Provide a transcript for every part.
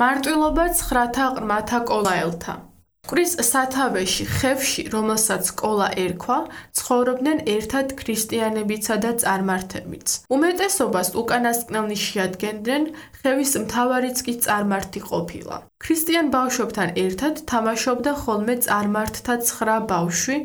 მარტვილობა ცხრათა ყრმათა კოლაელთა. მკვრის სათავეში, ხევში, რომელსაც კოლა ერქვა, ცხოვრობდნენ ერთად ქრისტიანებიცა და წარმართებიც. უმეტესობას უკანასკნელნი შეადგენდნენ, ხევის მთავარიც კი წარმართი ყოფილა. ქრისტიან ბავშვებთან ერთად თამაშობდა ხოლმე წარმართთა 9 ბავშვი,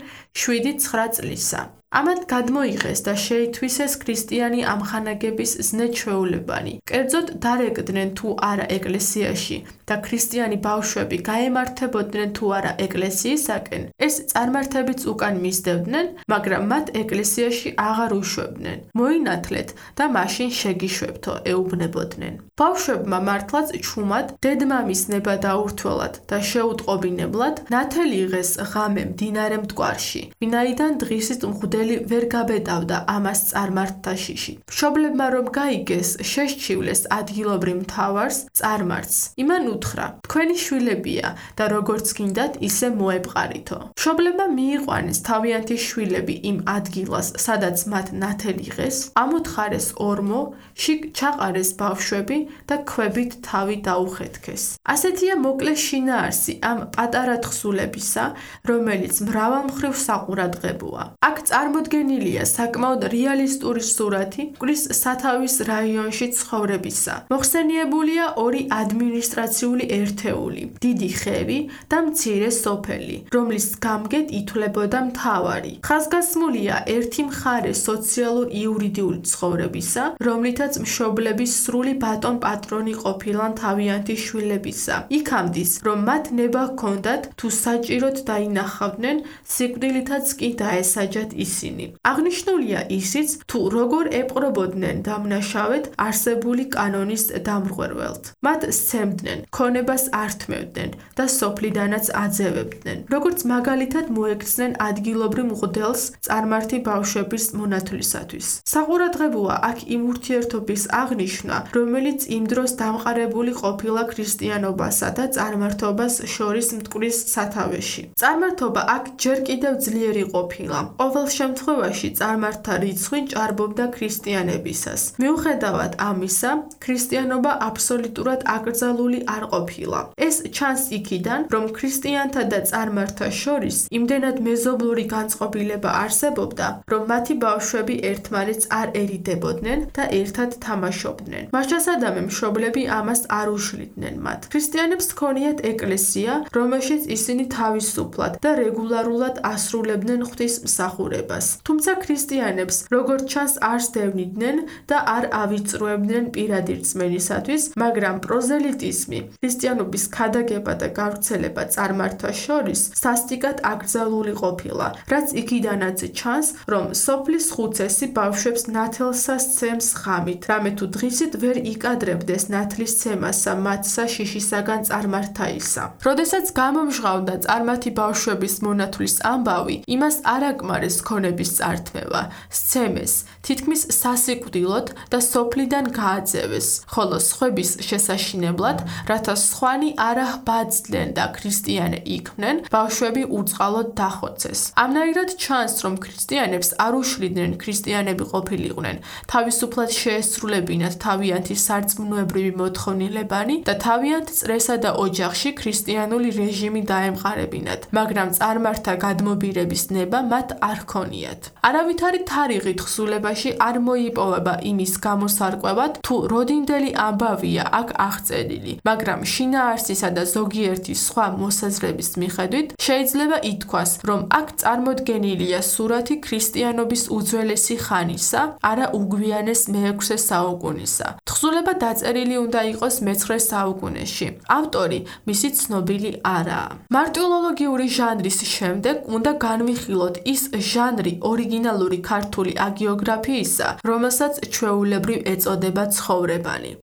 7-9 წლისა. ამათ გადმოიღეს და შეითვისეს ქრისტიანი ამხანაგების ზნე-ჩვეულებანი. კერძოდ დარეკდნენ თუ არა ეკლესიაში და ქრისტიანი ბავშვები გაემართებოდნენ თუ არა ეკლესიისაკენ, ეს წარმართებიც უკან მისდევდნენ, მაგრამ მათ ეკლესიაში აღარ უშვებდნენ. მოინათლეთ და მაშინ შეგიშვებთო, ეუბნებოდნენ. ბავშვებმა მართლაც ჩუმად დედმამის ნება დაურთველად და შეუტყობინებლად ნათელი იღეს ღამე მდინარე მტკვარში, ვინაიდან დღისით მღვდელი ვერ გაბედავდა ამას წარმართთა შიში. მშობლებმა რომ გაიგეს, შეშჩივლეს ადგილობრივ მთავარს, წარმართს. იმან უთხრა: თქვენი შვილებია და როგორც გინდათ, ისე მოეპყარითო. მშობლებმა მიიყვანეს თავიანთი შვილები იმ ადგილას, სადაც მათ ნათელი იღეს, ამოთხარეს ორმო, შიგ ჩაყარეს ბავშვები და ქვებით თავი დაუხეთქეს. ასეთია მოკლე შინაარსი ამ პატარა თხზულებისა, რომელიც მრავალმხრივ საყურადღებოა. აქ წარმოდგენილია საკმაოდ რეალისტური სურათი მკვრის სათავის რაიონში ცხოვრებისა. მოხსენიებულია 2 ადმინისტრაციული ერთეული, დიდი ხევი და მცირე სოფელი, რომლის გამგედ ითვლებოდა მთავარი. ხაზგასმულია ერთი მხარე სოციალურ-იურიდიული ცხოვრებისა, რომლითაც მშობლების სრული ბატონ-პატრონი ყოფილან თავიანთი შვილებისა. იქამდის, რომ მათ ნება ჰქონდათ თუ საჭიროდ დაინახავდნენ, სიკვდილითაც კი დაესაჯათ ისინი. აღნიშნულია ისიც, თუ როგორ ეპყრობოდნენ დამნაშავედ არსებული კანონის დამრღვევლად. მათ სცემდნენ, ქონებას ართმევდნენ და სოფლიდანაც აძევებდნენ. როგორც მაგალითად მოექცნენ ადგილობრივ მღვდელს წარმართი ბავშვების მონათვლისათვის. საყურადღებოა აქ იმ ურთიერთობის აღნიშვნა, რომელიც იმ დროს დამყარებული ყოფილა ქრისტიანობასა და წარმართობას შორის მტკვრის სათავეში. წარმართობა აქ ჯერ კიდევ ძლიერი ყოფილა. ყოველ შემთხვევაში წარმართთა რიცხვი ჭარბობდა ქრისტიანებისას. მიუხედავად ამისა, ქრისტიანობა აბსოლუტურად აკრძალული არ ყოფილა. ეს ჩანს იქიდან, რომ ქრისტიანთა და წარმართთა შორის იმდენად მეზობლური განწყობილება არსებობდა, რომ მათი ბავშვები ერთმანეთს არ ერიდებოდნენ და ერთად თამაშობდნენ. მაშასადამე მშობლები ამას არ უშლიდნენ მათ. ქრისტიანებს ჰქონიათ ეკლესია, რომელშიც ისინი თავისუფლად და რეგულარულად ასრულებდნენ ღვთისმსახურებას. თუმცა ქრისტიანებს, როგორც ჩანს, არ სდევნიდნენ და არ ავიწროებდნენ პირადი რწმენისათვის, მაგრამ პროზელიტიზმი, ქრისტიანობის ქადაგება და გავრცელება წარმართთა შორის სასტიკად აკრძალული ყოფილა, რაც იქიდანაც ჩანს, რომ სოფლის ხუცესი ბავშვებს ნათელსა სცემს ღამით, რამე თუ დღისით ვერ იკადრებდეს ნათლისცემასა მათსა შიშისაგან წარმართაისა. როდესაც გამომჟღავნდა წარმართი ბავშვების მონათვლის ამბავი, იმას არ აკმარეს ქონების წართმევა, სცემეს, თითქმის სასიკვდილოდ და სოფლიდან გააძევეს, ხოლო სხვების შესაშინებლად, რათა სხვანი არ აჰბაძდნენ და ქრისტიანე იქმნენ, ბავშვები უწყალოდ დახოცეს. ამნაირად ჩანს, რომ ქრისტიანებს არ უშლიდნენ ქრისტიანები ყოფილიყვნენ, თავისუფლად შეესრულებინათ თავიანთი სარწმუნოებრივი მოთხოვნილებანი და თავიანთ წრესა და ოჯახში ქრისტიანული რეჟიმი დაემყარებინათ, მაგრამ წარმართთა გადმობირების ნება მათ არ ჰქონიათ. არავითარი თარიღი თხზულებაში არ მოიპოვება იმის გამოსარკვევად, თუ როდინდელი ამბავია აქ აღწერილი, მაგრამ შინაარსისა და ზოგიერთი სხვა მოსაზრების მიხედვით შეიძლება ითქვას, რომ აქ წარმოდგენილია სურათი ქრისტიანობის უძველესი ხანისა, არა უგვიანეს მე-6 საუკუნისა. თხზულება დაწერილი უნდა იყოს მე-9 საუკუნეში. ავტორი მისი ცნობილი არაა. მარტვილოლოგიური ჟანრის შემდეგ უნდა განვიხილოთ ის ჟანრი ორიგინალური ქართული აგიოგრაფიისა, რომელსაც ჩვეულებრივ ეწოდება ცხოვრებანი.